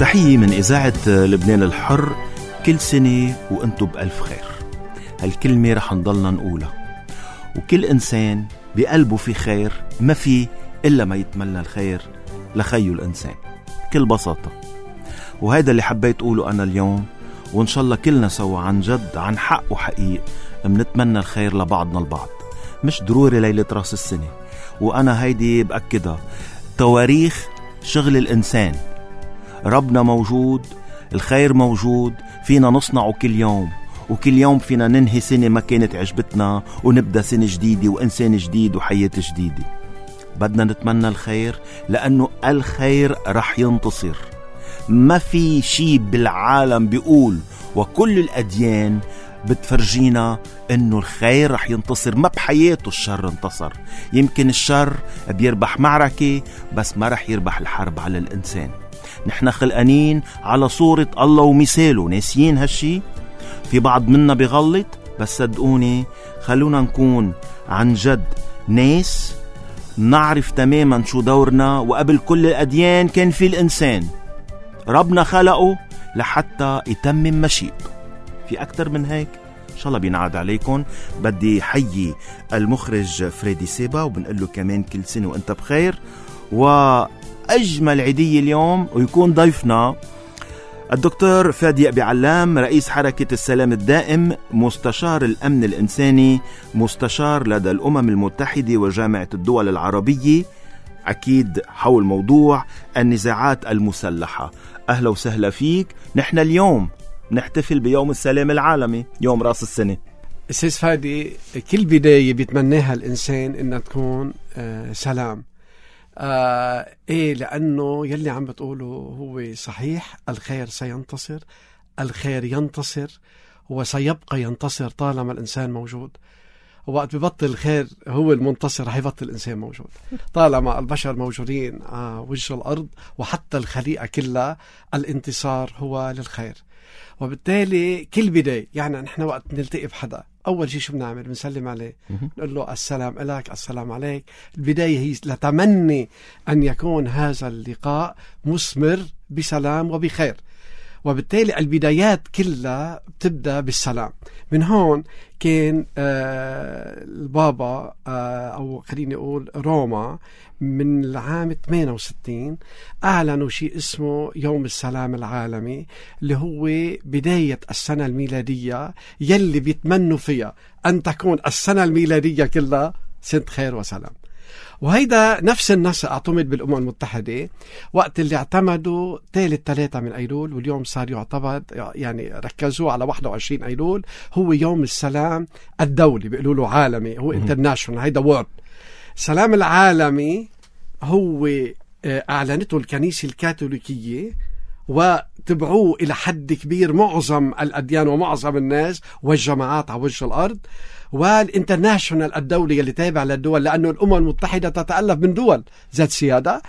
تحية من إذاعة لبنان الحر. كل سنة وأنتم بألف خير. هالكلمة رح نضلنا نقولها، وكل إنسان بقلبه في خير ما في إلا ما يتمنى الخير لخيه الإنسان بكل بساطة. وهذا اللي حبيت أقوله أنا اليوم، وإن شاء الله كلنا سوا عن جد عن حق وحقيق منتمنى الخير لبعضنا البعض، مش ضروري ليلة راس السنة. وأنا هيدي بأكدها، تواريخ شغل الإنسان، ربنا موجود، الخير موجود، فينا نصنعه كل يوم، وكل يوم فينا ننهي سنة ما كانت عجبتنا ونبدأ سنة جديدة وإنسان جديد وحياة جديدة. بدنا نتمنى الخير لأنه الخير رح ينتصر. ما في شيء بالعالم بيقول، وكل الأديان بتفرجينا انه الخير رح ينتصر. ما بحياته الشر انتصر. يمكن الشر بيربح معركة بس ما رح يربح الحرب على الإنسان. نحن خلقانين على صورة الله ومثاله، ناسيين هالشي. في بعض منا بيغلط، بس صدقوني خلونا نكون عن جد ناس نعرف تماما شو دورنا. وقبل كل الأديان كان في الإنسان، ربنا خلقه لحتى يتمم مشيئته. في أكتر من هيك؟ إن شاء الله بينعاد عليكم. بدي حيي المخرج فريدي سيبا وبنقول له كمان كل سنة وانت بخير. وأجمل عيدية اليوم ويكون ضيفنا الدكتور فادي أبي علام، رئيس حركة السلام الدائم، مستشار الأمن الإنساني، مستشار لدى الأمم المتحدة وجامعة الدول العربية، أكيد حول موضوع النزاعات المسلحة. أهلا وسهلا فيك. نحن اليوم نحتفل بيوم السلام العالمي، يوم راس السنة. أستاذ فادي، كل بداية بيتمناها الإنسان إنها تكون سلام. إيه، لأنه يلي عم بتقوله هو صحيح. الخير سينتصر، الخير ينتصر، هو سيبقى ينتصر طالما الإنسان موجود. وقت ببطل الخير هو المنتصر رح يبطل الإنسان موجود. طالما البشر موجودين وجه الأرض وحتى الخليقة كلها، الانتصار هو للخير. وبالتالي كل بداية، يعني نحن وقت نلتقي بحدا أول شيء شو بنعمل؟ بنسلم عليه، نقول له السلام عليك، السلام عليك. البداية هي لتمني أن يكون هذا اللقاء مثمر بسلام وبخير. وبالتالي البدايات كلها بتبدأ بالسلام. من هون كان البابا أو خليني أقول روما من العام 68 أعلنوا شيء اسمه يوم السلام العالمي، اللي هو بداية السنة الميلادية يلي بيتمنوا فيها أن تكون السنة الميلادية كلها سنة خير وسلام. وهيدا نفس النص اعتمد بالأمم المتحدة وقت اللي اعتمدوا ثالث 3 من أيلول، واليوم صار يعتمد، يعني ركزوا على 21 أيلول هو يوم السلام الدولي، بيقولوا له عالمي، هو انترناشونال، هيدا وورد. السلام العالمي هو أعلنته الكنيسة الكاثوليكية وتبعوه إلى حد كبير معظم الأديان ومعظم الناس والجماعات على وجه الأرض، والانترناشونال الدولي اللي تابع للدول، لأنه الأمم المتحدة تتألف من دول ذات سيادة.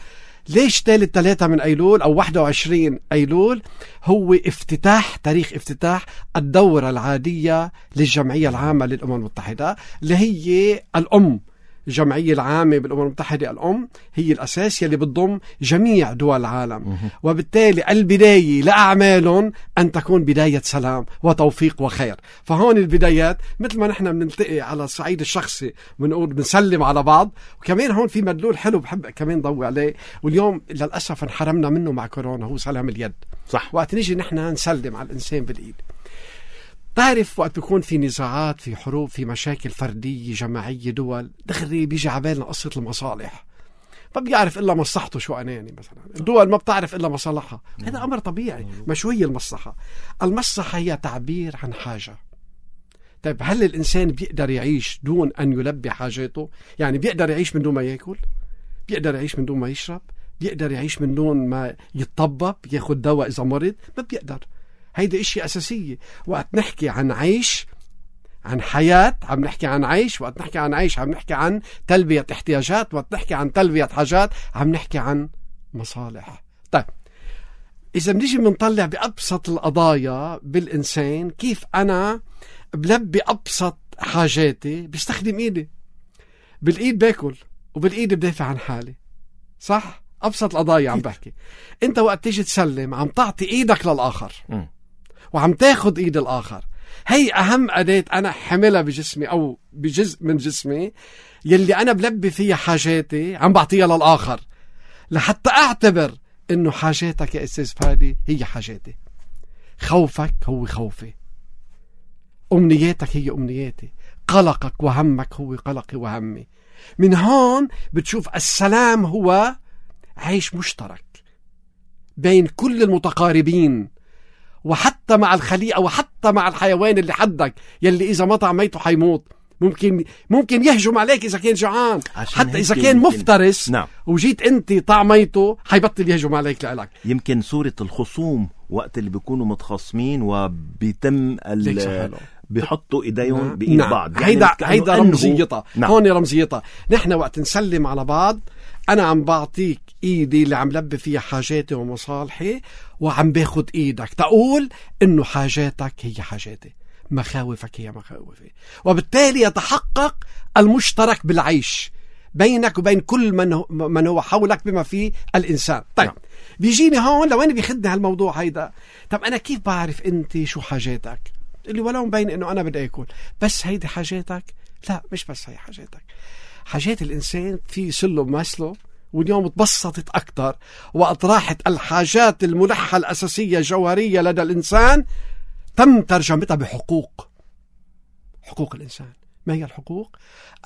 ليش ثالث 3 من أيلول أو 21 أيلول؟ هو افتتاح، تاريخ افتتاح الدورة العادية للجمعية العامة للأمم المتحدة، اللي هي الأم. الجمعية العامة بالأمم المتحدة الأم هي الأساس يلي بتضم جميع دول العالم. وبالتالي البداية لأعمالهم أن تكون بداية سلام وتوفيق وخير. فهون البدايات مثل ما نحن بنلتقي على الصعيد الشخصي بنقول بنسلم على بعض، وكمان هون في مدلول حلو بحب كمان ضوي عليه، واليوم للأسف انحرمنا منه مع كورونا، هو سلام اليد. صح. وقت نيجي نحن نسلم على الإنسان بالإيد. تعرف وقت يكون في نزاعات، في حروب، في مشاكل فردية جماعية دول، دغري بيجي عبالنا قصة المصالح. ما بيعرف إلا مصلحته. شو أناني مثلا، الدول ما بتعرف إلا مصالحها. هذا أمر طبيعي. ما شو هي المصلحة؟ المصلحة هي تعبير عن حاجة. طيب هل الإنسان بيقدر يعيش دون أن يلبي حاجاته؟ يعني بيقدر يعيش من دون ما يأكل؟ بيقدر يعيش من دون ما يشرب؟ بيقدر يعيش من دون ما يتطبب ياخد دواء إذا مرض؟ ما بيقدر. هيدا إشي أساسية. وقت نحكي عن عيش، عن حياة، عم نحكي عن عيش. وقت نحكي عن عيش عم نحكي عن تلبية احتياجات. وقت نحكي عن تلبية حاجات عم نحكي عن مصالح. طيب إذا بنيجي بنطلع بأبسط القضايا بالإنسان، كيف أنا بلبي أبسط حاجاتي؟ بستخدم إيدي. بالإيد باكل وبالإيد بدافع عن حالي، صح؟ أبسط القضايا عم بحكي. أنت وقت تيجي تسلم عم تعطي إيدك للآخر وعم تاخد إيد الآخر. هي أهم أداة أنا حملها بجسمي أو بجزء من جسمي يلي أنا بلبي فيها حاجاتي عم بعطيها للآخر، لحتى أعتبر إنه حاجاتك يا أستاذ فادي هي حاجاتي، خوفك هو خوفي، أمنياتك هي أمنياتي، قلقك وهمك هو قلقي وهمي. من هون بتشوف السلام هو عيش مشترك بين كل المتقاربين، وحتى مع الخليقة وحتى مع الحيوان اللي حدك يلي إذا ما طعميته حيموت. ممكن يهجم عليك إذا كان جوعان، حتى إذا كان مفترس. نعم. وجيت أنت طعميته حيبطل يهجم عليك لإلك. يمكن صورة الخصوم وقت اللي بيكونوا متخاصمين وبيتم بيحطوا ايديهم بايد بعض، يعني هيدا رمزيتها. هون رمزيتها. نحن وقت نسلم على بعض انا عم بعطيك ايدي اللي عم لبي فيها حاجاتي ومصالحي، وعم باخد ايدك تقول انه حاجاتك هي حاجاتي، مخاوفك هي مخاوفي، وبالتالي يتحقق المشترك بالعيش بينك وبين كل من هو حولك بما فيه الإنسان. طيب بيجيني هون لوين بيخدني هالموضوع هيدا. طب أنا كيف بعرف أنت شو حاجاتك؟ اللي ولو مبين أنه أنا بدي أكل، بس هيدي حاجاتك؟ لا، مش بس هي حاجاتك. حاجات الإنسان في سلم مسله، واليوم تبسطت أكتر وأطراحت الحاجات الملحة الأساسية الجوهرية لدى الإنسان تم ترجمتها بحقوق. حقوق الإنسان. ما هي الحقوق؟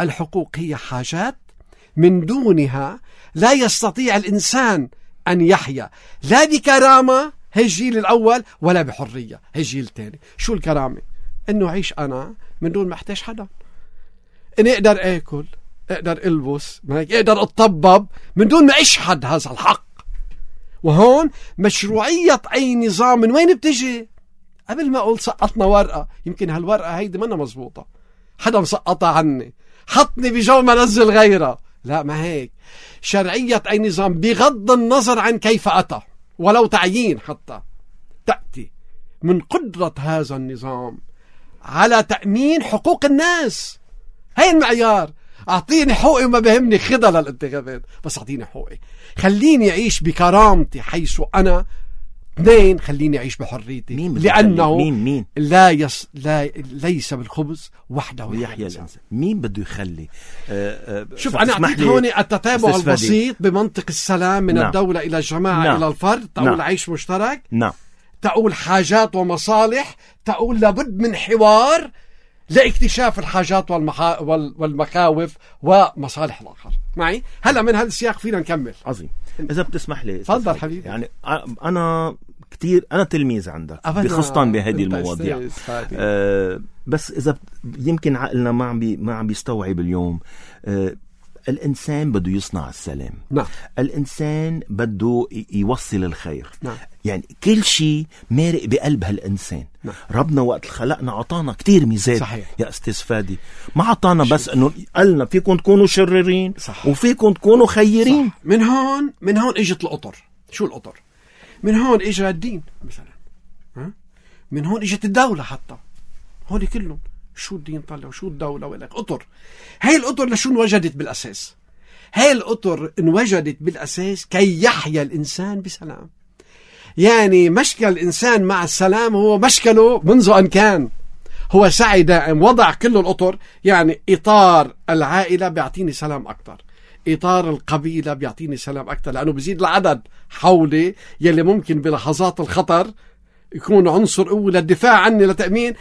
الحقوق هي حاجات من دونها لا يستطيع الإنسان أن يحيا، لا بكرامة، هي الجيل الأول، ولا بحرية، هي الجيل الثاني. شو الكرامة؟ إنه عيش أنا من دون ما أحتاج حدا، إني أقدر أكل، أقدر ألبس، أقدر أتطبب من دون ما أشحد هذا الحق. وهون مشروعية أي نظام من وين بتجي؟ قبل ما أقول سقطنا ورقة، يمكن هالورقة هيدي منا مزبوطة، حدا مسقطها عني، حطني بجو ما نزل غيرها. لا، ما هيك. شرعية أي نظام بغض النظر عن كيف أتى ولو تعيين حتى، تأتي من قدرة هذا النظام على تأمين حقوق الناس. هاي المعيار. أعطيني حقوقي وما بهمني خدها للانتخابات، بس أعطيني حقوقي، خليني أعيش بكرامتي حيث أنا. اثنين، خليني أعيش بحريتي، لأنه مين؟ ليس بالخبز وحده يحيى الإنسان. مين بده يخلي؟ شوف، أنا أعطيت هون التتابع البسيط بمنطق السلام من الدولة إلى الجماعة إلى الفرد. تقول عيش مشترك، تقول حاجات ومصالح، تقول لابد من حوار لاكتشاف الحاجات والمخاوف ومصالح الآخر. معي؟ هلأ من هذا السياق فينا نكمل. عظيم. إذا بتسمح لي. تفضل حبيبي. يعني أنا تلميذ عندك بخصتان بهذه المواضيع. بس إذا يمكن عقلنا ما عم بيستوعب اليوم. الإنسان بده يصنع السلام. نعم. الإنسان بده يوصل الخير. نعم. يعني كل شيء مارق بقلب هالإنسان. نعم. ربنا وقت خلقنا عطانا كتير ميزات. صحيح. يا أستاذ فادي، ما عطانا بس أنه قالنا فيكم تكونوا شريرين. صح. وفيكم تكونوا خيرين. صح. من هون اجت القطر. شو القطر؟ من هون اجى الدين مثلا، من هون اجت الدولة حتى. هون كلهم شو الدين طلع وشو الدولة ولك قطر. هاي القطر لشو انوجدت بالأساس؟ هاي القطر انوجدت بالأساس كي يحيا الإنسان بسلام. يعني مشكل الإنسان مع السلام هو مشكله منذ أن كان. هو سعي دائم، وضع كل القطر. يعني إطار العائلة بيعطيني سلام أكتر، إطار القبيلة بيعطيني سلام أكتر، لأنه بيزيد العدد حولي يلي ممكن بلحظات الخطر يكون عنصر قوة للدفاع عني لتأمين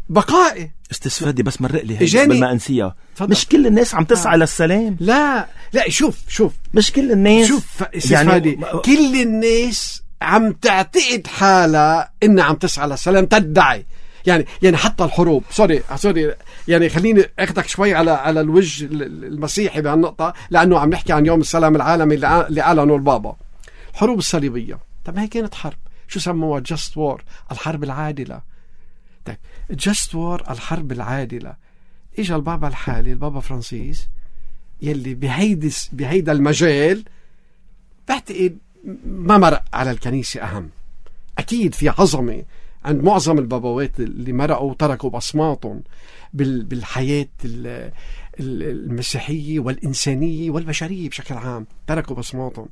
بقائي. استفادي بس مرق لي هيك قبل ما أنسيها. مش كل الناس عم تسعى للسلام. لا شوف مش كل الناس. شوف استفادي، كل الناس عم تعتقد حالها إنها عم تسعى للسلام، تدعي. يعني حتى الحروب، سوري يعني خليني أخذك شوي على الوجه المسيحي بهالنقطة، لأنه عم نحكي عن يوم السلام العالمي اللي أعلنه البابا. الحروب الصليبية، طب هي كانت حرب، شو سموها؟ جاست وور، الحرب العادلة. طيب جاست وور، الحرب العادلة. إجا البابا الحالي، البابا فرانسيس، يلي بهيدا المجال بعتقد ما مرق على الكنيسة أهم. أكيد في عظمة عند معظم البابوات اللي مرقوا وتركوا بصماتهم بالحياة المسيحية والإنسانية والبشرية بشكل عام، تركوا بصماتهم.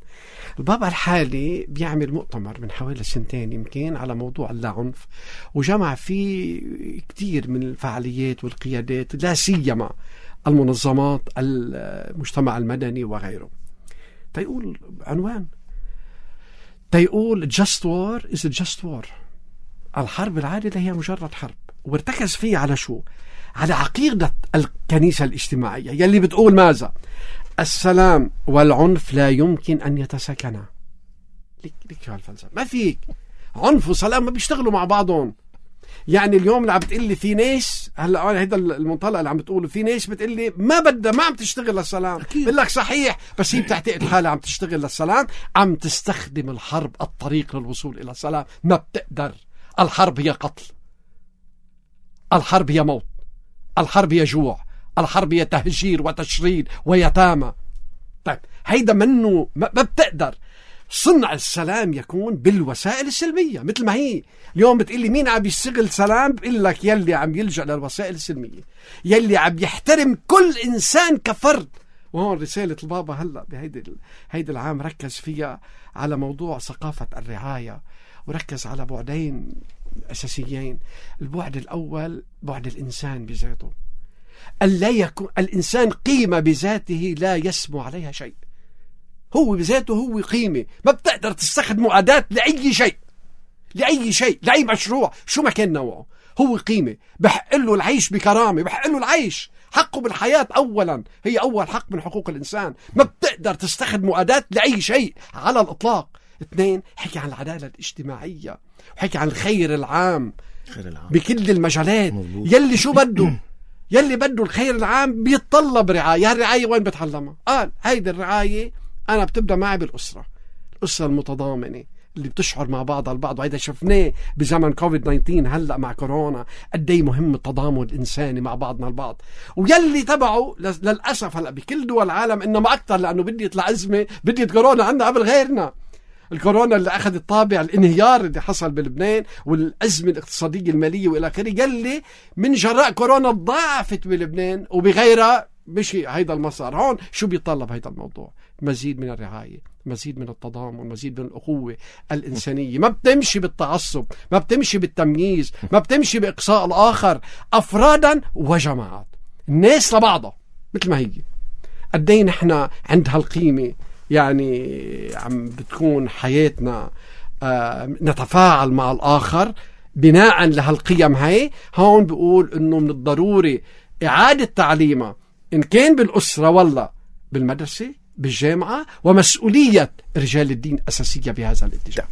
البابا الحالي بيعمل مؤتمر من حوالي 2 يمكن على موضوع اللاعنف، وجمع فيه كتير من الفعاليات والقيادات، لا سيما المنظمات المجتمع المدني وغيره. تيقول عنوان، تيقول just war is a just war. الحرب العادلة هي مجرد حرب. وارتكز فيه على شو؟ على عقيدة الكنيسة الاجتماعية يلي بتقول ماذا؟ السلام والعنف لا يمكن أن يتساكنا. ليك شو هالفلسفة؟ ما فيك عنف وسلام ما بيشتغلوا مع بعضهم. يعني اليوم اللي عم بتقلي في ناس، هلا هيدا المنطلق اللي عم بتقوله، في ناس بتقلي ما عم تشتغل للسلام. بقول لك صحيح، بس هي بتعتقد حالها عم تشتغل للسلام، عم تستخدم الحرب الطريق للوصول إلى السلام. ما بتقدر. الحرب هي قتل، الحرب هي موت، الحرب هي جوع، الحرب هي تهجير وتشريد ويتامى. طيب هيدا منه ما بتقدر. صنع السلام يكون بالوسائل السلمية. مثل ما هي اليوم بتقلي مين عم يشتغل سلام، بقول لك يلي عم يلجأ للوسائل السلمية، يلي عم يحترم كل إنسان كفرد. وهون رسالة البابا هلأ بهيدي العام ركز فيها على موضوع ثقافة الرعاية، وركز على بعدين أساسيين. البعد الأول بعد الإنسان بذاته، ألا يكون الإنسان قيمة بذاته لا يسمو عليها شيء. هو بذاته هو قيمة، ما بتقدر تستخدمه أداة لأي شيء، لأي شيء، لأي مشروع شو ما كان نوعه. هو قيمة، بحق له العيش بكرامة، بحق له العيش، حقه بالحياة أولا، هي أول حق من حقوق الإنسان. ما بتقدر تستخدمه أداة لأي شيء على الإطلاق. 2، حكي عن العدالة الاجتماعية، وحكي عن الخير العام بكل المجالات. يلي شو بده، يلي بده الخير العام بيتطلب رعاية. الرعاية وين بتعلمها؟ قال هيدي الرعاية أنا بتبدأ معي بالأسرة، الأسرة المتضامنة اللي بتشعر مع بعضها البعض. وهذا شفناه بزمن كوفيد-19 هلأ مع كورونا، قدي مهم التضامن الإنساني مع بعضنا البعض. ويلي تبعه للأسف هلأ بكل دول العالم، إنما أكتر لأنه بديت الأزمة، بديت كورونا عندنا قبل غيرنا. الكورونا اللي أخذت طابع الانهيار اللي حصل بلبنان والأزمة الاقتصادية المالية وإلى آخره، يلي من جراء كورونا ضاعفت بلبنان وبغيرها مشي هيدا المسار. هون شو بيطلب هيدا الموضوع؟ مزيد من الرعاية، مزيد من التضامن، مزيد من الأخوة الإنسانية. ما بتمشي بالتعصب، ما بتمشي بالتمييز، ما بتمشي بإقصاء الآخر، أفرادا وجماعات، الناس لبعضها مثل ما هي. قدين احنا عند هالقيمة، يعني عم بتكون حياتنا نتفاعل مع الآخر بناء لهالقيم هاي. هون بيقول إنه من الضروري إعادة تعليمها، إن كان بالأسرة ولا بالمدرسة بالجامعة، ومسؤولية رجال الدين أساسية بهذا الاتجاه.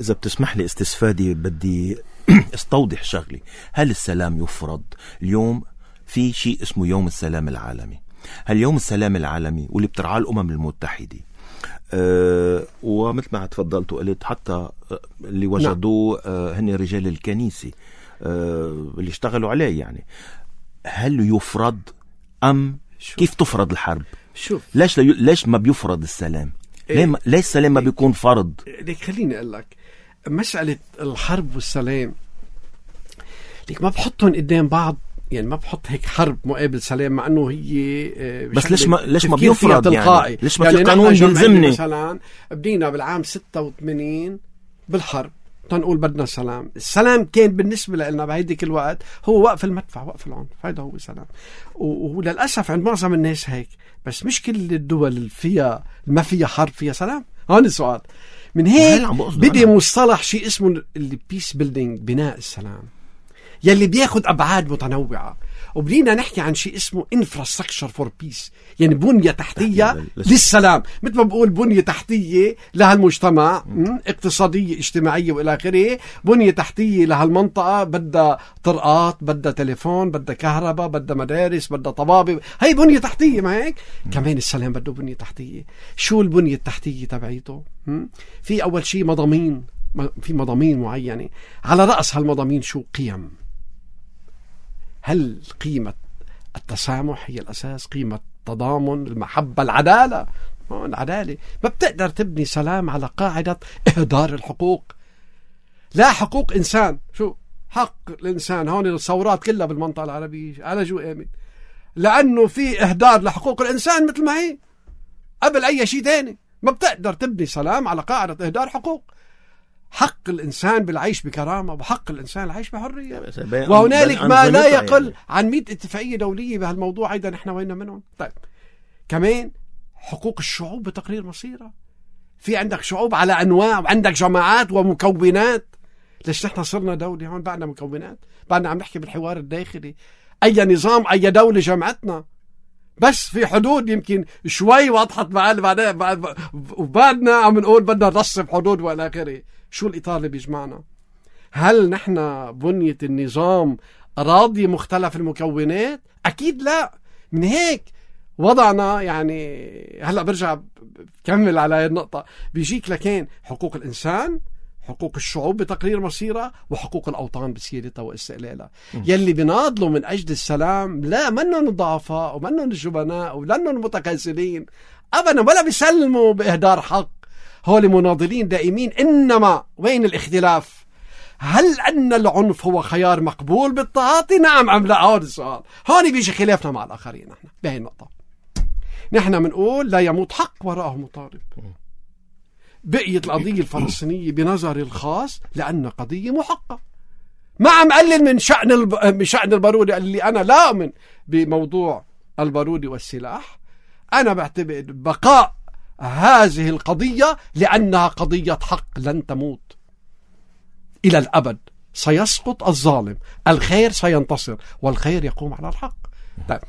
إذا بتسمح لي استفادي، بدي استوضح شغلي. هل السلام يفرض؟ اليوم في شيء اسمه يوم السلام العالمي. هاليوم السلام العالمي واللي بترعاه الأمم المتحدة، ومثل ما تفضلت وقلت حتى اللي وجدوه هن رجال الكنيسة اللي اشتغلوا عليه. يعني هل يفرض أم كيف تفرض الحرب؟ شوف ليش ما بيفرض السلام؟ ليش السلام ما بيكون فرض؟ ليك خليني أقول لك، مسألة الحرب والسلام ليك ما بحطهم قدام بعض. يعني ما بحط هيك حرب مقابل سلام، مع انه هي بس ليش ما بيفرض؟ يعني ليش ما في يعني قانون يلزمني؟ مثلا بدينا بالعام 86 بالحرب تنقول بدنا سلام. السلام كان بالنسبة لنا بهيديك الوقت هو وقف المدفع، وقف العنف. هذا هو سلام. وللأسف عند معظم الناس هيك. بس مش كل الدول اللي فيها ما فيها حرب فيها سلام. هون السؤال. من هيك بدي مصطلح شيء اسمه البيس بيلدينج، بناء السلام، يلي بياخد أبعاد متنوعة. وبدينا نحكي عن شيء اسمه infrastructure for peace، يعني بنية تحتية للسلام. مثل ما بقول بنية تحتية لهالمجتمع، اقتصادية اجتماعية وإلى آخره. بنية تحتية لهالمنطقة، بدها طرقات، بدها تليفون، بدها كهرباء، بدها مدارس، بدها طبابة. هاي بنية تحتية. ما هيك كمان السلام بده بنية تحتية. شو البنية التحتية تبعيته؟ في أول شيء مضامين، في مضامين معينة. على رأس هالمضامين شو؟ قيم. هل قيمة التسامح هي الأساس؟ قيمة التضامن، المحبة، العدالة. العدالة ما بتقدر تبني سلام على قاعدة إهدار الحقوق. لا حقوق إنسان. شو حق الإنسان؟ هون الثورات كلها بالمنطقة العربية على شو آمن؟ لأنه في إهدار لحقوق الإنسان مثل ما هي قبل أي شيء تاني. ما بتقدر تبني سلام على قاعدة إهدار حقوق. حق الإنسان بالعيش بكرامة، وحق الإنسان العيش بحرية، وهنالك ما لا يقل عن 100 اتفاقية دولية بهالموضوع. أيضا نحن وين منهم. طيب كمان حقوق الشعوب بتقرير مصيرها. في عندك شعوب على أنواع، وعندك جماعات ومكونات. ليش نحن صرنا دولة هون بعدنا مكونات؟ بعدنا عم نحكي بالحوار الداخلي. أي نظام أي دولة جمعتنا؟ بس في حدود يمكن شوي وضحت وبعدنا عم نقول بدنا نرسم حدود وإلى آخره. شو الإطار اللي بيجمعنا؟ هل نحن بنية النظام راضي مختلف المكونات؟ أكيد لا. من هيك وضعنا يعني هلأ برجع بكمل على هاي النقطة. بيجيك لكن حقوق الإنسان، حقوق الشعوب بتقرير مصيرها، وحقوق الأوطان بسيادتها واستقلالها. يلي بيناضلوا من أجل السلام لا منهم الضعفاء ومنهم الجبناء ومنهم المتكاسلين أبدا، ولا بيسلموا بإهدار حق. هول مناضلين دائمين. إنما وين الاختلاف؟ هل أن العنف هو خيار مقبول بالتعاطي؟ نعم أم لا؟ هذا السؤال. هون بيجي خلافنا مع الآخرين. نحن بهي النقطة نحن بنقول لا يموت حق وراءه مطالب. بقيت القضية الفلسطينية بنظري الخاص لأن قضية محقة. ما عم قلل من شأن البارودي اللي أنا لا أؤمن بموضوع البارودي والسلاح. أنا بعتبر بقاء هذه القضية لأنها قضية حق لن تموت إلى الأبد. سيسقط الظالم، الخير سينتصر، والخير يقوم على الحق. طيب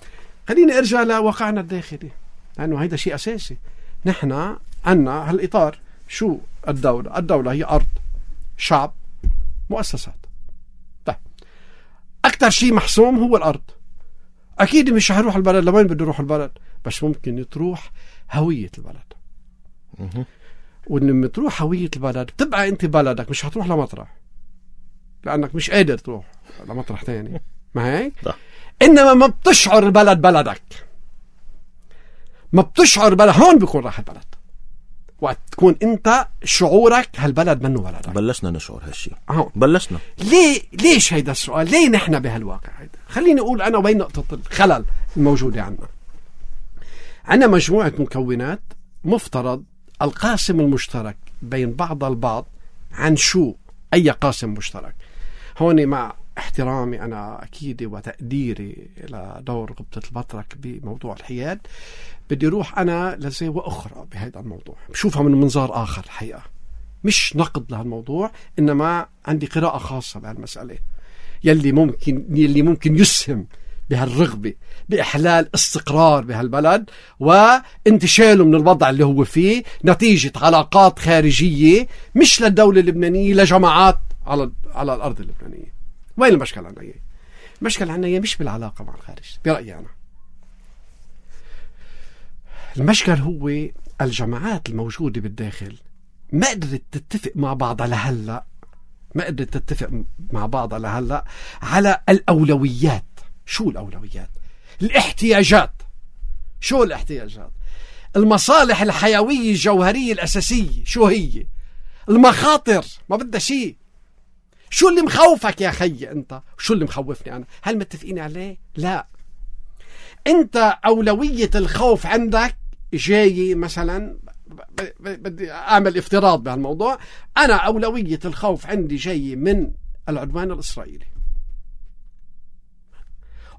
خليني أرجع لواقعنا الداخلي، لأنه هيدا شيء أساسي. نحن عنا هالإطار. شو الدولة؟ الدولة هي أرض، شعب، مؤسسات. طيب أكتر شيء محسوم هو الأرض. أكيد مش هروح البلد. لوين بده يروح البلد؟ بس ممكن تروح هوية البلد. ولما تروح هوية البلد بتبقى أنت بلدك، مش هتروح لمطرح لأنك مش قادر تروح لمطرح تاني. ما هيك؟ إنما ما بتشعر البلد بلدك، ما بتشعر البلد. هون بيكون راح البلد وقت تكون أنت شعورك هالبلد منه بلدك. بلشنا نشعر هالشيء. بلشنا. ليش هيدا السؤال؟ ليه نحن بهالواقع هيدا؟ خليني أقول أنا وين نقطة الخلل الموجودة عنا. عنا مجموعة مكونات مفترض القاسم المشترك بين بعض البعض عن شو؟ أي قاسم مشترك؟ هون مع احترامي أنا أكيد وتقديري إلى دور غبطة البطرك بموضوع الحياد، بدي روح أنا لزاوية أخرى بهذا الموضوع، بشوفها من منظار آخر الحقيقة، مش نقد لهالموضوع، إنما عندي قراءة خاصة بهالمسألة يلي ممكن يسهم بهالرغبة بإحلال استقرار بهالبلد وانتشاله من الوضع اللي هو فيه نتيجة علاقات خارجية مش للدولة اللبنانية، لجماعات على الأرض اللبنانية. وين المشكلة عنا؟ المشكلة عنا مش بالعلاقة مع الخارج برأيي أنا. المشكلة هو الجماعات الموجودة بالداخل ما قدرت تتفق مع بعض لهلأ، على الأولويات. شو الأولويات؟ الاحتياجات. شو الاحتياجات؟ المصالح الحيوية الجوهرية الأساسية شو هي؟ المخاطر ما بدها شيء. شو اللي مخوفك يا خي أنت؟ شو اللي مخوفني أنا؟ هل متفقين عليه؟ لا. أنت أولوية الخوف عندك جاي مثلا، بدي أعمل افتراض بهالموضوع، أنا أولوية الخوف عندي جاي من العدوان الإسرائيلي،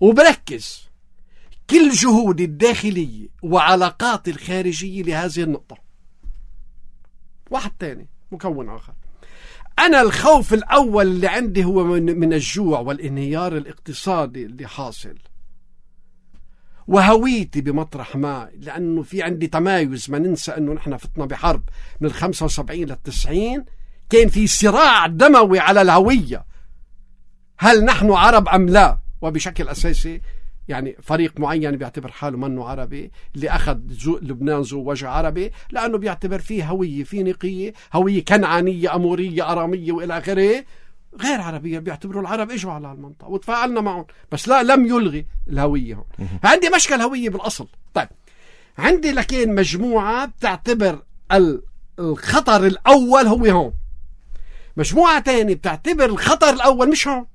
وبركز كل جهودي الداخلية وعلاقاتي الخارجية لهذه النقطة. واحد تاني مكون آخر، أنا الخوف الأول اللي عندي هو من الجوع والانهيار الاقتصادي اللي حاصل، وهويتي بمطرح ما، لأنه في عندي تمايز. ما ننسى أنه نحن فتنا بحرب من 75 لل90، كان في صراع دموي على الهوية، هل نحن عرب أم لا؟ وبشكل أساسي يعني فريق معين بيعتبر حاله منه عربي، اللي أخذ لبنان ذو وجه عربي، لأنه بيعتبر فيه هوية فينيقية، هوية كنعانية أمورية أرامية وإلى آخره، غير عربية. بيعتبروا العرب إجوا على المنطقة وتفاعلنا معهم، بس لا، لم يلغي الهوية هون. عندي مشكلة هوية بالأصل. طيب عندي لكن مجموعة بتعتبر الخطر الأول هو هون، مجموعة تاني بتعتبر الخطر الأول مش هون،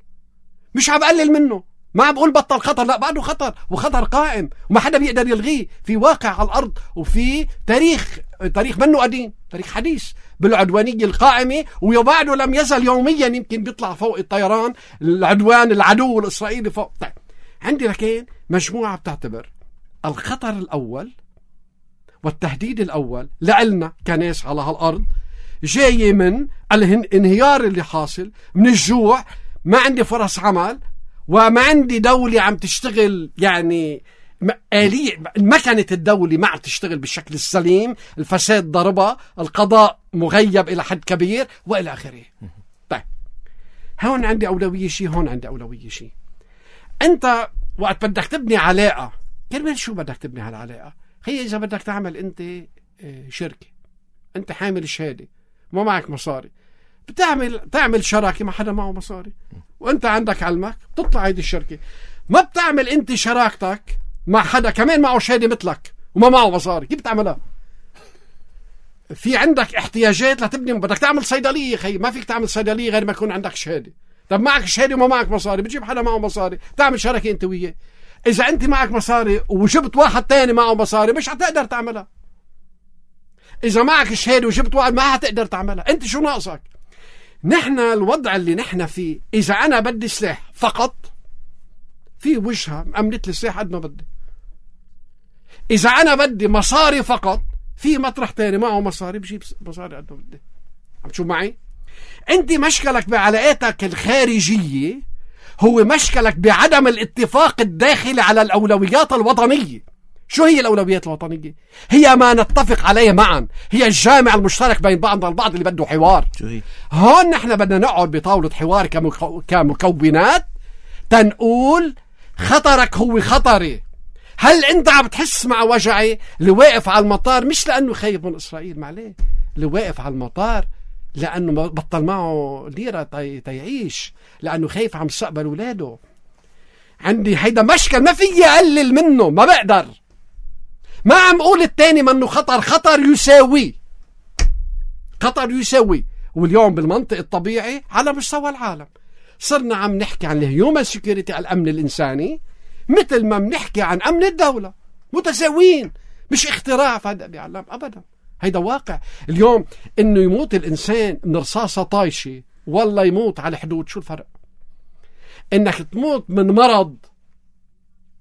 مش عم بقلل منه، ما عم بقول بطل خطر، لا بعده خطر، وخطر قائم وما حدا بيقدر يلغيه، في واقع على الأرض وفي تاريخ منه قديم، تاريخ حديث بالعدوانية القائمة، وبعده لم يزل يوميا يمكن بيطلع فوق الطيران العدوان العدو الإسرائيلي فوق. طيب عندي لكن مجموعة بتعتبر الخطر الأول والتهديد الأول لعلنا كناس على هالأرض جاي من الانهيار اللي حاصل، من الجوع، ما عندي فرص عمل، وما عندي دولة عم تشتغل، يعني مكنة الدولة ما عم تشتغل بالشكل السليم، الفساد ضربة، القضاء مغيب إلى حد كبير وإلى آخره. طيب هون عندي أولوية شيء، هون عندي أولوية شيء. أنت وقت بدك تبني علاقة، كرمال شو بدك تبني هالعلاقة؟ هي إذا بدك تعمل أنت شركة، أنت حامل شهادة وما معك مصاري، تعمل شراكة مع حدا معه مصاري، وأنت عندك علمك بتطلع هيدي الشركة. ما بتعمل أنت شراكتك مع حدا كمان معه شهادة مثلك وما معه مصاري، كيف بتعملها؟ في عندك احتياجات لتبني، بدك تعمل صيدلية خي، ما فيك تعمل صيدلية غير ما يكون عندك شهادة. طب معك شهادة وما معك مصاري، بتجيب حدا معه مصاري تعمل شركة أنت وياه. إذا أنت معك مصاري وجبت واحد تاني معه مصاري مش هتقدر تعملها. إذا معك شهادة وجبت واحد ما هتقدر تعملها. أنت شو ناقصك؟ نحن الوضع اللي نحن فيه، إذا أنا بدي سلاح فقط في وجهة أملت لي سلاح قد ما بدي. إذا أنا بدي مصاري فقط في مطرح تاني معه مصاري بجيب مصاري قد ما بدي. عم تشوف معي؟ أنت مشكلك بعلاقاتك الخارجية هو مشكلك بعدم الاتفاق الداخلي على الأولويات الوطنية. شو هي الأولويات الوطنية؟ هي ما نتفق عليه معا، هي الجامع المشترك بين بعضنا البعض اللي بده حوار. شو هي؟ هون نحن بدنا نقعد بطاولة حوار كمكونات تنقول خطرك هو خطري. هل انت عم تحس مع وجعي اللي واقف على المطار مش لأنه خايف من إسرائيل، معليه، اللي واقف على المطار لأنه بطل معه ليرة تيعيش، لأنه خايف عن مستقبل ولاده. عندي هيدا مشكل ما في أقلل منه، ما بقدر. ما عم قول التاني منه خطر، خطر يساوي. واليوم بالمنطق الطبيعي على مستوى العالم صرنا عم نحكي عن الهيومن سيكوريتي، الأمن الإنساني، مثل ما بنحكي عن أمن الدولة، متساويين، مش اختراع فهذا بيعلم أبدا. هيدا واقع اليوم. إنه يموت الإنسان من رصاصة طايشة والله يموت على الحدود، شو الفرق؟ إنك تموت من مرض،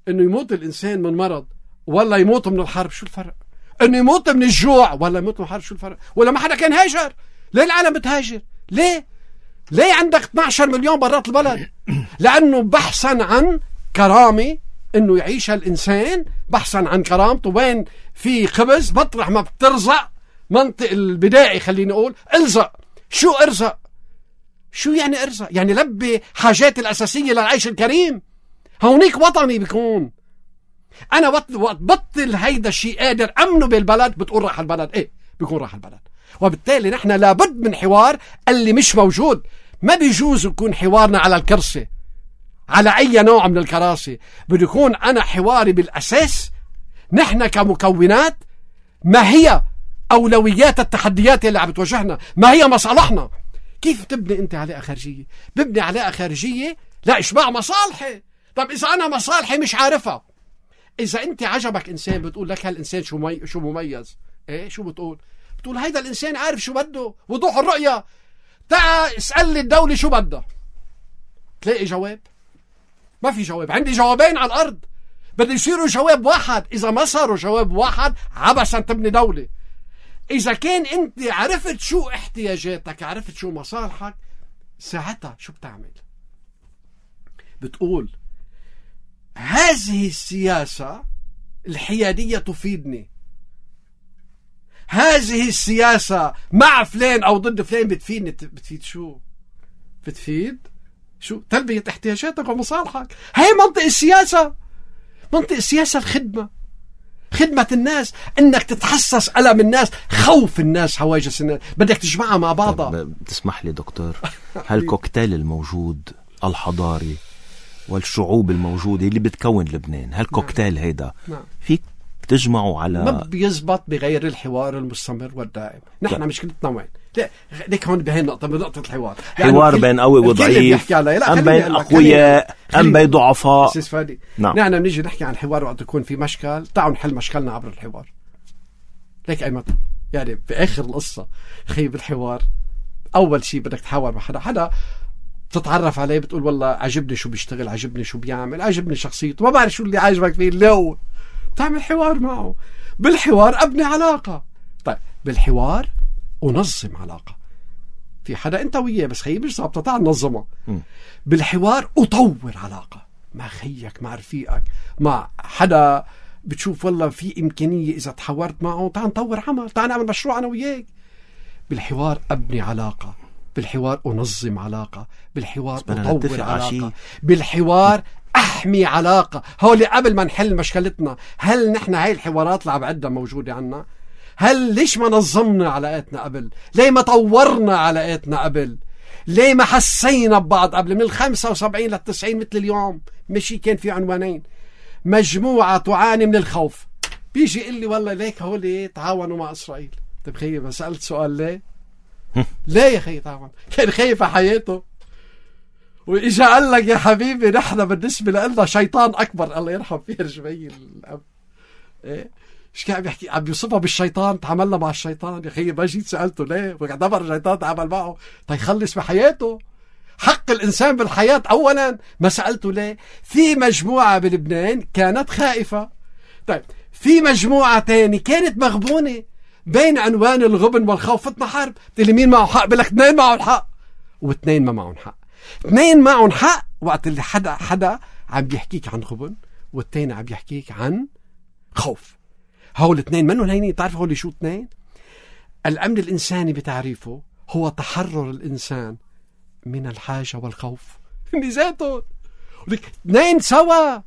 إنه يموت الإنسان من مرض والله يموت من الحرب، شو الفرق؟ إنه يموت من الجوع والله يموت من الحرب، شو الفرق؟ ولا ما حدا كان هاجر؟ ليه العالم بتهاجر؟ ليه عندك 12 مليون برات البلد؟ لأنه بحثا عن كرامة، إنه يعيش الإنسان بحثا عن كرامته. وين في خبز مطرح ما بترزق، منطق البدائي خليني أقول الزق. شو ارزق؟ شو يعني ارزق؟ يعني لبي حاجات الأساسية للعيش الكريم. هونيك وطني بيكون. أنا بطل هيدا الشيء قادر أمنه بالبلد، بتقول راح البلد، إيه بيكون راح البلد. وبالتالي نحن لابد من حوار اللي مش موجود. ما بيجوز يكون حوارنا على الكرسي، على أي نوع من الكراسي. بده يكون أنا حواري بالأساس نحن كمكونات ما هي أولويات التحديات اللي عم بتواجهنا، ما هي مصالحنا. كيف تبني أنت علاقة خارجية؟ ببني علاقة خارجية لا إشباع مصالحي. طب إذا أنا مصالحي مش عارفها، إذا أنت عجبك إنسان بتقول لك هالإنسان شو مميز، إيه شو بتقول هيدا الإنسان عارف شو بده، وضوح الرؤية. تعال اسأل لي الدولة شو بدها، تلاقي جواب؟ ما في جواب. عندي جوابين على الأرض، بده يصيروا جواب واحد. إذا ما صاروا جواب واحد عبثا تبني دولة. إذا كان أنت عرفت شو احتياجاتك، عرفت شو مصالحك، ساعتها شو بتعمل؟ بتقول هذه السياسة الحيادية تفيدني، هذه السياسة مع فلان أو ضد فلان بتفيدني. بتفيد شو؟ بتفيد شو؟ تلبية احتياجاتك ومصالحك. هاي منطق السياسة. منطق السياسة الخدمة، خدمة الناس، انك تتحسس ألم الناس، خوف الناس، هواجس الناس، بدك تجمعها مع بعضها. تسمح لي دكتور، هالكوكتيل الموجود الحضاري والشعوب الموجودة اللي بتكون لبنان، هالكوكتيل هيدا بتجمعوا على ما بيزبط بغير الحوار المستمر والدائم. نحن مشكلتنا وين؟ ليك هون بهي النقطة، بنقطة الحوار، حوار بين قوي وضعيف، أم بين أقوياء أم بين ضعفاء. نعم. نحن بنيجي نحكي عن الحوار وقت يكون في مشكل، تعالوا نحل مشكلنا عبر الحوار. ليك أي مطلب يعني بآخر القصة خي بالحوار أول شيء بدك تحاور مع حدا تتعرف عليه، بتقول والله عجبني شو بيشتغل، عجبني شو بيعمل، عجبني شخصيته، ما بعرف شو اللي عاجبك فيه، لو تعمل حوار معه. بالحوار أبني علاقة. طيب بالحوار ونظم علاقة. في حدا أنت وياه بس خيي مش ظابطة، تعال ننظمها. بالحوار أطور علاقة مع خيك، مع رفيقك، مع حدا بتشوف والله في إمكانية إذا تحاورت معه تعال نطور عمل، تعال نعمل مشروع أنا وياك. بالحوار أبني علاقة، بالحوار أنظم علاقة، بالحوار أطور علاقة، بالحوار أحمي علاقة. هولي قبل ما نحل مشكلتنا، هل نحن هاي الحوارات اللي عم عدها موجودة عنا؟ هل ليش ما نظمنا علاقاتنا قبل؟ ليه ما طورنا علاقاتنا قبل؟ ليه ما حسينا ببعض قبل؟ من 75 لل90 مثل اليوم مشي كان في عنوانين: مجموعة تعاني من الخوف. بيجي يقول لي والله ليك هولي تعاونوا مع إسرائيل. طيب خيي ما سألت سؤال ليه؟ ليه يا خيي تعاون؟ كان خايف على حياته وإجا قال لك يا حبيبي نحن بالنسبة لنا شيطان أكبر. الله يرحم فيه رجبي الأب. إيه؟ إيش كان بيحكي؟ عم بيوصفها بالشيطان، تعاملنا مع الشيطان. يا خيي ما جيت سألته ليه؟ واعتبر الشيطان تعامل معه تيخلص بحياته. حق الإنسان بالحياة أولا. ما سألته ليه؟ في مجموعة بلبنان كانت خائفة. طيب في مجموعة تاني كانت مغبونة بين عنوان الغبن والخوف. فتنا حرب، تقول مين معه حق؟ بلك اثنين معهم حق واثنين ما معهم حق. اثنين معهم حق وقت اللي حدا عم بيحكيك عن غبن والتاني عم بيحكيك عن خوف. هول الاثنين منهم هينين. تعرف هول شو اثنين؟ الأمن الإنساني بتعريفه هو تحرر الإنسان من الحاجة والخوف. ذاتهم اثنين سوا.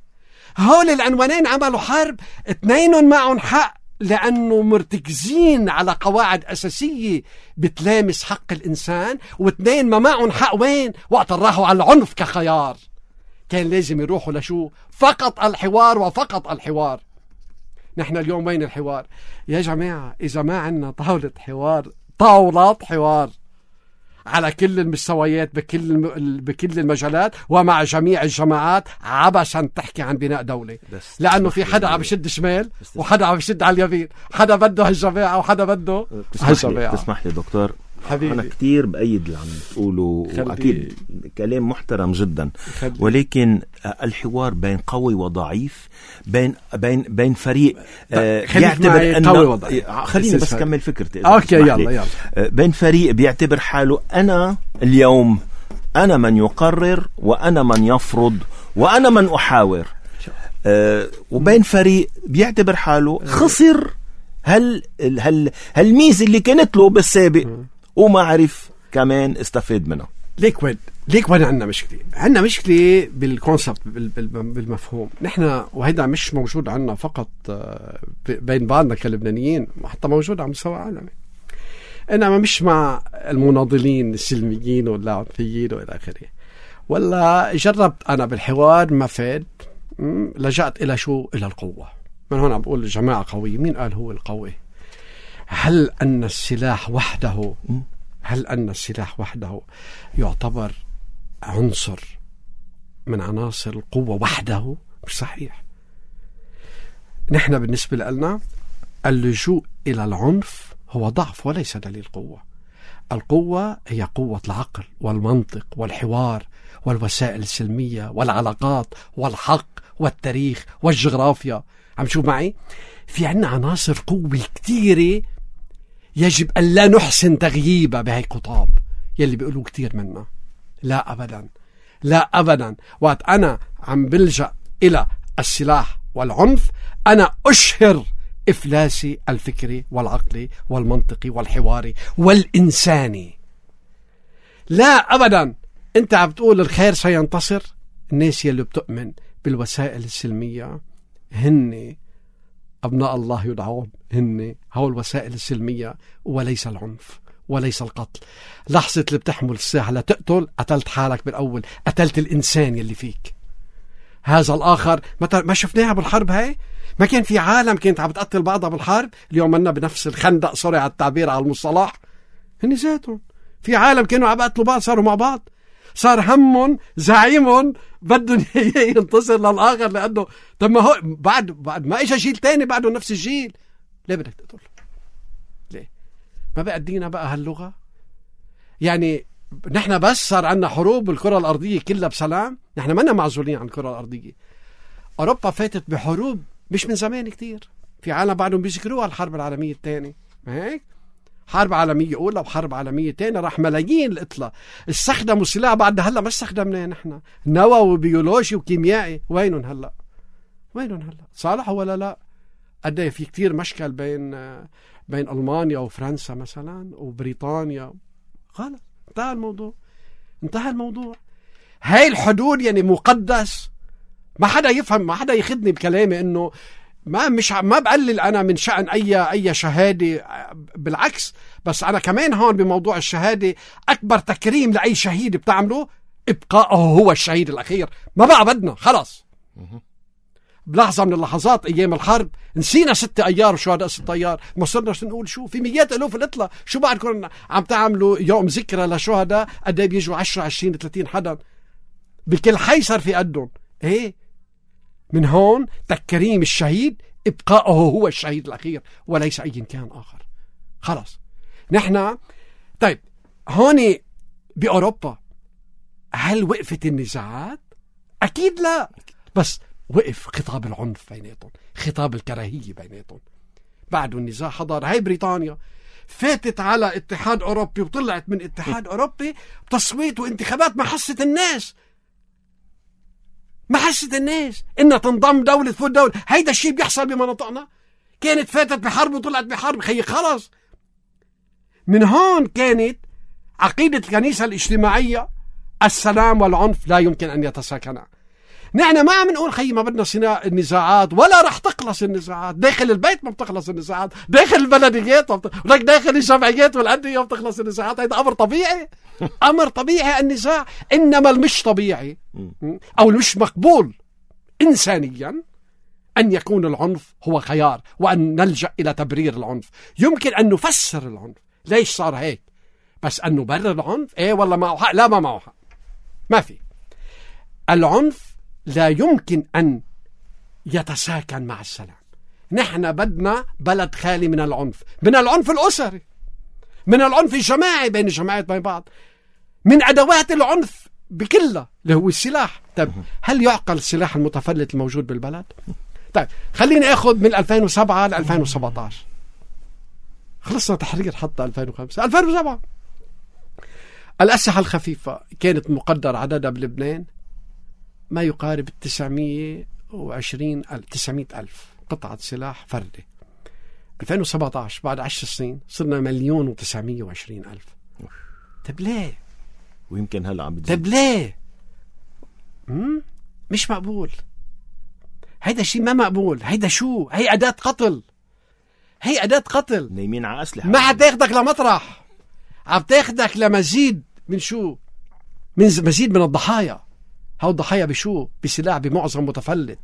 هول العنوانين عملوا حرب، اثنين معهم حق لأنه مرتكزين على قواعد أساسية بتلامس حق الإنسان، واثنين ما معهم حق. وين؟ وقت راحوا على العنف كخيار. كان لازم يروحوا لشو؟ فقط الحوار وفقط الحوار. نحن اليوم وين الحوار؟ يا جماعة إذا ما عنا طاولة حوار، طاولات حوار على كل المستويات بكل المجالات ومع جميع الجماعات، عبثا تحكي عن بناء دولة. لأنه في حدا عم يشد شمال وحدا عم يشد على اليمين، حدا بده هالجماعة وحدا بده هالجماعة. تسمح لي دكتور حبيبي. أنا كتير بأيد اللي عم تقوله وأكيد كلام محترم جدا، ولكن الحوار بين قوي وضعيف، بين فريق يعتبر أنه خليني بس كمل فكرتي. أوكي يلا. بين فريق بيعتبر حاله أنا اليوم أنا من يقرر وأنا من يفرض وأنا من أحاور، وبين فريق بيعتبر حاله خسر هالميزة اللي كانت له بالسابق وما عرف كمان استفاد منها. ليك وين عندنا مشكلة؟ عندنا مشكلة بالكونسبت، بالمفهوم. نحن وهيدا مش موجود عندنا فقط بين بعضنا كلبنانيين، حتى موجود على مستوى عالمي. إنما مش مع المناضلين السلميين والعنفيين وإلى آخره. ولا جربت أنا بالحوار ما فاد، لجأت إلى شو؟ إلى القوة. من هون عم بقول الجماعة قوية. مين قال هو القوي؟ هل أن السلاح وحده يعتبر عنصر من عناصر القوة وحده؟ مش صحيح. نحن بالنسبة لنا اللجوء إلى العنف هو ضعف وليس دليل قوة. القوة هي قوة العقل والمنطق والحوار والوسائل السلمية والعلاقات والحق والتاريخ والجغرافيا. عم شو معي؟ في عنا عناصر قوة كتيرة يجب أن لا نحسن تغييبها بهاي القطاب يلي بيقولوا كتير منا. لا أبدا. وقت أنا عم بلجأ إلى السلاح والعنف أنا أشهر إفلاسي الفكري والعقلي والمنطقي والحواري والإنساني. لا أبدا. أنت عم بتقول الخير سينتصر. الناس يلي بتؤمن بالوسائل السلمية هن أبناء الله يدعون، هن هو الوسائل السلمية وليس العنف وليس القتل. لحظة اللي بتحمل السلاح لتقتل، قتلت حالك بالأول، قتلت الإنسان يلي فيك. هذا الآخر ما شفناها بالحرب هاي؟ ما كان في عالم كانت عم بتقتل بعضها بالحرب؟ اليوم منا بنفس الخندق، سوري على التعبير على المصطلح، هن ذاتهم في عالم كانوا عم بيقتلوا بعض صاروا مع بعض. صار همهم زعيمهم بدهم ينتصر للآخر، لأنه طب ما هو بعد ما إجا جيل تاني بعده نفس الجيل، ليه بدك تقتل؟ ليه؟ ما بقى دينا بقى هاللغة؟ يعني نحن بس صار عنا حروب بالكرة الأرضية كلها بسلام؟ نحن منا معزولين عن الكرة الأرضية. أوروبا فاتت بحروب مش من زمان كتير، في عالم بعدهم بيذكروها الحرب العالمية الثانية، ما هيك؟ حرب عالمية أولى وحرب عالمية تانية، راح ملايين القتلى، استخدموا سلاح بعد هلا ما استخدمناه نحن، نووي وبيولوجي وكيميائي، وينهم هلا؟ وينهم هلا؟ صالح ولا لا؟ قد في كتير مشكل بين ألمانيا وفرنسا مثلا وبريطانيا، خلص انتهى الموضوع. هاي الحدود يعني مقدس، ما حدا يفهم، ما حدا يخدني بكلامي انه ما بقلل انا من شأن اي شهاده، بالعكس، بس انا كمان هون بموضوع الشهاده اكبر تكريم لاي شهيد بتعمله ابقائه هو الشهيد الاخير، ما بقى بدنا خلص. بلحظه من اللحظات ايام الحرب نسينا 6 ايار وشهداء 6 ايار، ما صرنا نقول شو في مئات الوف القتلى، شو بعدكم عم تعملوا يوم ذكرى لشهداء قد ايه بيجوا 10 20 30 حدا بكل حي صار في قدهم. ايه من هون تكريم الشهيد ابقائه هو الشهيد الاخير وليس اي كان اخر. خلاص نحن طيب هون باوروبا هل وقفت النزاعات؟ اكيد لا، بس وقف خطاب العنف بيناتهم، خطاب الكراهيه بيناتهم. بعده النزاع حضر. هاي بريطانيا فاتت على اتحاد اوروبي وطلعت من اتحاد اوروبي بتصويت وانتخابات، ما حست الناس انها تنضم دولة فوق دولة. هيدا الشيء بيحصل بمناطقنا. كانت فاتت بحرب وطلعت بحرب، خيي خلص. من هون كانت عقيدة الكنيسة الاجتماعية السلام والعنف لا يمكن أن يتساكنا. نحن ما عم نقول خيي ما بدنا النزاعات، ولا رح تخلص النزاعات. داخل البيت ما بتخلص النزاعات، داخل البلديات ولك داخل الجمعيات والأندية ما بتخلص النزاعات. هذا أمر طبيعي، أمر طبيعي النزاع. إنما المش طبيعي أو المش مقبول إنسانيا أن يكون العنف هو خيار، وأن نلجأ إلى تبرير العنف. يمكن أن نفسر العنف ليش صار هيك، بس أن نبرر العنف إيه والله معه حق؟ لا، ما معه حق، ما في. العنف لا يمكن أن يتساكن مع السلام. نحن بدنا بلد خالي من العنف، من العنف الأسري، من العنف الجماعي بين الجماعات بين بعض، من أدوات العنف بكلها اللي هو السلاح. طيب هل يعقل السلاح المتفلت الموجود بالبلد؟ طيب خليني أخذ من 2007 ل 2017، خلصنا تحرير حتى 2005 2007. الأسلحة الخفيفة كانت مقدر عددها بلبنان ما يقارب 920,000 قطعة سلاح فردي. 2017 بعد 10 سنين صرنا 1,920,000. طب ليه؟ ويمكن هلا عم بتزيد. طب ليه؟ مش مقبول. هيدا شيء ما مقبول. هيدا شو؟ هي أداة قتل. هي أداة قتل. نايمين على أسلحة. ما حتاخدك لمطرح، عم تاخدك لمزيد من شو؟ من مزيد من الضحايا. هاو الضحايا بشو؟ بسلاح بمعظم متفلت.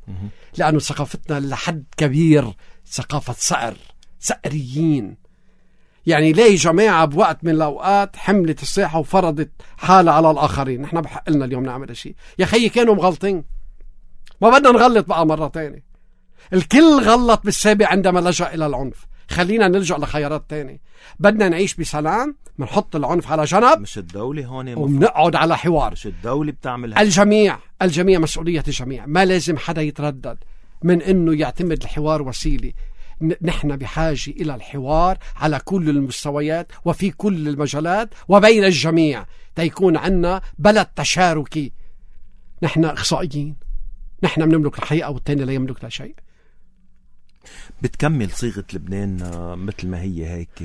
لأنه ثقافتنا لحد كبير ثقافة سأريين. يعني ليه جماعة بوقت من الأوقات حملت الساحة وفرضت حالة على الآخرين؟ نحن بحق لنا اليوم نعمل شيء. يا خيي كانوا مغلطين، ما بدنا نغلط بقى مرة تانية. الكل غلط بالسابق عندما لجأ إلى العنف. خلينا نلجأ لخيارات تانية. بدنا نعيش بسلام، منحط العنف على جنب، مش الدولة هون ومنقعد على حوار. مش الدولة بتعمل الجميع مسؤولية الجميع. ما لازم حدا يتردد من انه يعتمد الحوار وسيلة. نحن بحاجة إلى الحوار على كل المستويات وفي كل المجالات وبين الجميع تيكون عنا بلد تشاركي. نحن إخصائيين، نحن بنملك الحقيقة والتاني لا يملك لا شيء. بتكمل صيغة لبنان مثل ما هي هيك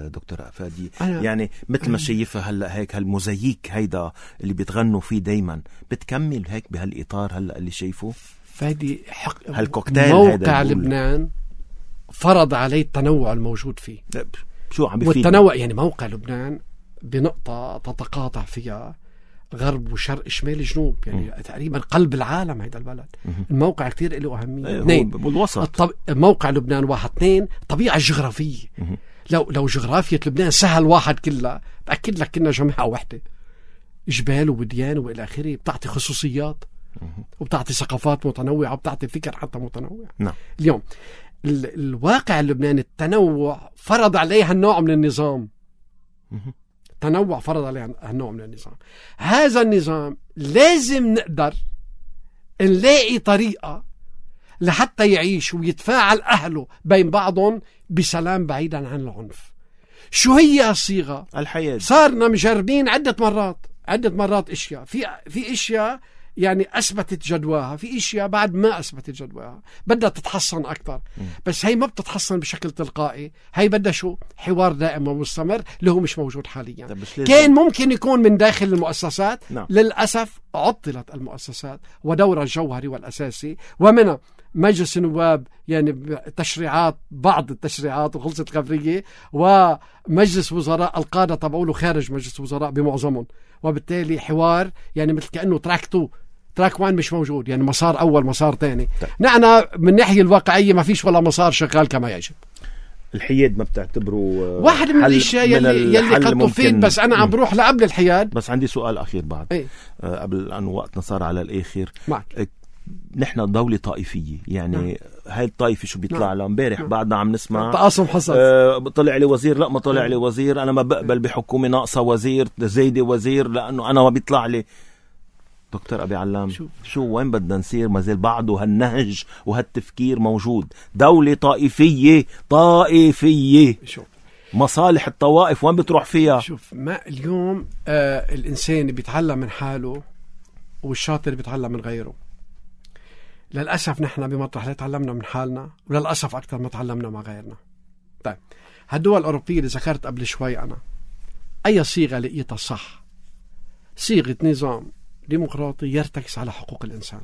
دكتور أفادي، يعني مثل ما شايفها هلأ هيك هالموزاييك هيدا اللي بتغنوا فيه دايما، بتكمل هيك بهالإطار هلأ اللي شايفه فادي. هالكوكتيل موقع لبنان فرض عليه التنوع الموجود فيه. شو عم بيفيد؟ والتنوع يعني موقع لبنان بنقطة تتقاطع فيها غرب وشرق شمال جنوب، يعني تقريبا قلب العالم هيدا البلد. الموقع كتير له أهمية. اثنين، بالوسط. موقع لبنان واحد. اثنين، الطبيعة الجغرافية. لو جغرافية لبنان سهل واحد كلها، بأكد لك كنا جماعة واحدة، جبال ووديان وإلى آخره، بتعطي خصوصيات وبتعطي ثقافات متنوعة وبتعطي فكر حتى متنوع. نعم. اليوم الواقع اللبناني التنوع فرض عليه هالنوع من النظام. التنوع فرض عليه هالنوع من النظام. هذا النظام لازم نقدر نلاقي طريقة لحتى يعيش ويتفاعل أهله بين بعضهم بسلام بعيدا عن العنف. شو هي الصيغة؟ الحياة. صارنا مجربين عدة مرات اشياء، في اشياء يعني اثبتت جدواها، في اشياء بعد ما اثبتت جدواها، بدها تتحسن اكثر. بس هي ما بتتحسن بشكل تلقائي، هي بدها شو؟ حوار دائم ومستمر اللي هو مش موجود حاليا. كان ممكن يكون من داخل المؤسسات. نعم. للاسف عطلت المؤسسات ودورها الجوهري والاساسي، ومنها مجلس النواب يعني تشريعات، بعض التشريعات وخلصت خبرية، ومجلس وزراء القادة تبعوله خارج مجلس وزراء بمعظمهم، وبالتالي حوار يعني مثل كأنه تراك 1 مش موجود، يعني مسار أول مسار تاني. نحن من ناحية الواقعية ما فيش ولا مسار شغال كما يجب. الحياد ما بتعتبره واحد من الاشياء يلي قد تفيد، بس انا عم بروح لقبل الحياد. بس عندي سؤال اخير بعد قبل ان وقتنا صار على الاخر معك. نحن دولة طائفية، يعني هاي الطائفة شو بيطلع لها امبارح بعدنا عم نسمع تقاسم حصل. طلع لي وزير، لا ما طلع لي وزير، انا ما بقبل بحكومة ناقصة وزير، زايدة وزير لانه انا ما بيطلع لي. دكتور أبي علام، شو وين بدنا نصير؟ ما زال بعده هالنهج وهالتفكير موجود. دولة طائفية شوف مصالح الطوائف وين بتروح فيها؟ شوف، ما اليوم الإنسان بيتعلم من حاله والشاطر بيتعلم من غيره. للأسف نحن بمطرح لا تعلمنا من حالنا، وللأسف أكثر ما تعلمنا مع غيرنا. طيب هالدول الأوروبية اللي ذكرت قبل شوي أنا، أي صيغة لقيتها صح؟ صيغة نظام ديمقراطي يرتكز على حقوق الإنسان،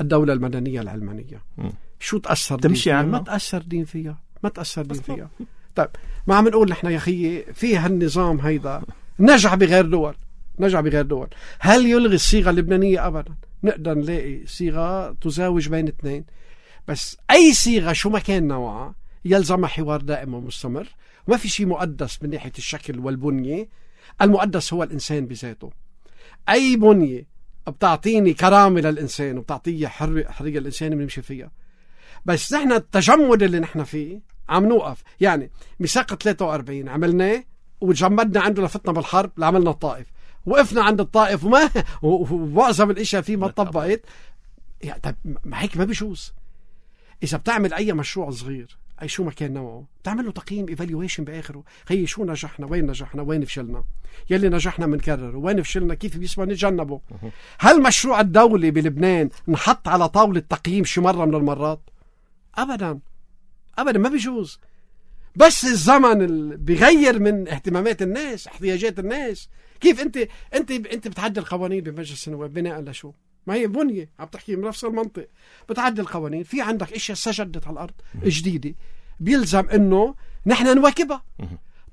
الدولة المدنية العلمانية. شو تأثر تمشي عنه؟ ما تأثر دين فيها. طيب ما عم نقول نحن يا خيي في هالنظام هيدا نجح بغير دول. هل يلغي الصيغة اللبنانية؟ أبدا. نقدر نلاقي صيغة تزاوج بين اثنين، بس أي صيغة شو ما كان نوعها يلزمها حوار دائم ومستمر، وما في شيء مقدس من ناحية الشكل والبنية. المقدس هو الإنسان بذاته. أي بنية بتعطيني كرامة للإنسان وبتعطيه حرية الإنسان بنمشي فيها. بس نحن التجمد اللي نحن فيه عم نوقف. يعني ميثاق 43 عملناه وتجمدنا عنده لفتنا بالحرب لعملنا الطائف، وقفنا عند الطائف ومعظم الاشياء فيه ما طبقت. يعني طيب ما هيك ما بيجوز. إذا بتعمل أي مشروع صغير أي شو ما كان نوعه تعمل له تقييم evaluation بآخره. خيي شو نجحنا، وين نجحنا، وين فشلنا، يلي نجحنا منكرره، وين فشلنا كيف بيسمى نتجنبه. هل مشروع الدولة بلبنان نحط على طاولة تقييم شي مرة من المرات؟ أبدا ما بيجوز. بس الزمن بيغير من اهتمامات الناس، احتياجات الناس. كيف انت بتعدل قوانين بمجلس النواب بناء لشو؟ ما هي بنية عم تحكي من نفس المنطق. بتعدل قوانين، في عندك اشياء سجدت على الارض جديدة بيلزم انه نحن نواكبها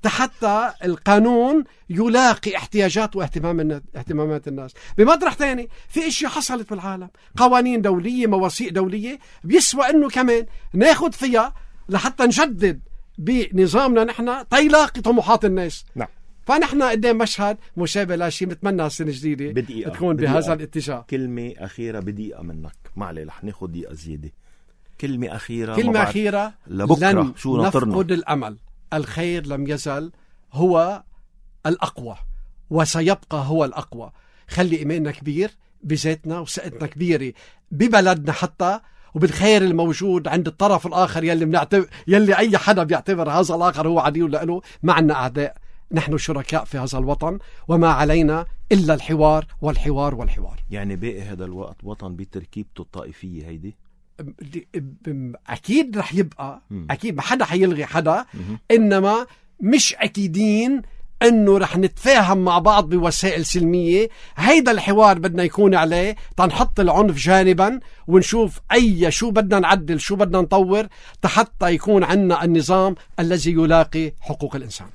حتى القانون يلاقي احتياجات واهتمامات الناس. بمطرح تاني في اشياء حصلت بالعالم، قوانين دولية، مواثيق دولية، بيسوى انه كمان ناخد فيها لحتى نجدد بنظامنا نحن تيلاقي طموحات الناس. نعم. فنحن قدام مشهد مشابه لشيء بتمنى السنة الجديدة تكون بهذا الاتجاه. كلمة أخيرة بدقيقة منك، معلي رح ناخد دقيقة زيادة. كلمة أخيرة لبكرة. لن شو نفقد الأمل. الخير لم يزل هو الأقوى وسيبقى هو الأقوى. خلي إيماننا كبير بذاتنا وثقتنا كبيرة ببلدنا حتى، وبالخير الموجود عند الطرف الآخر يلي أي حدا بيعتبر هذا الآخر هو عدو له. معنا أعداء، نحن شركاء في هذا الوطن، وما علينا إلا الحوار والحوار والحوار. يعني باقي هذا الوقت وطن بتركيبته الطائفية هيدي أكيد رح يبقى. أكيد ما حدا حيلغي حدا، إنما مش أكيدين أنه رح نتفاهم مع بعض بوسائل سلمية. هيدا الحوار بدنا يكون عليه تنحط العنف جانبا ونشوف شو بدنا نعدل، شو بدنا نطور حتى يكون عنا النظام الذي يلاقي حقوق الإنسان.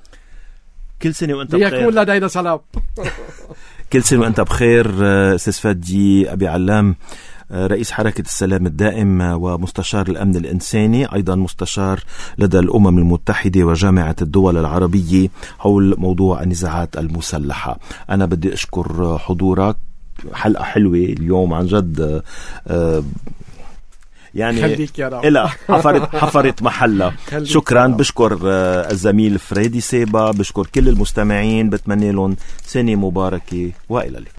كل سنة وانت بخير. ليكون لدينا سلام. كل سنة وانت بخير أستاذ فادي أبي علام، رئيس حركة السلام الدائم ومستشار الأمن الإنساني، أيضا مستشار لدى الأمم المتحدة وجامعة الدول العربية حول موضوع النزاعات المسلحة. أنا بدي أشكر حضورك، حلقة حلوة اليوم عن جد، يعني إلا حفرت محلة. شكرا. بشكر الزميل فريدي سيبا، بشكر كل المستمعين، بتمنى لهم سنة مباركة وإلى اللقاء.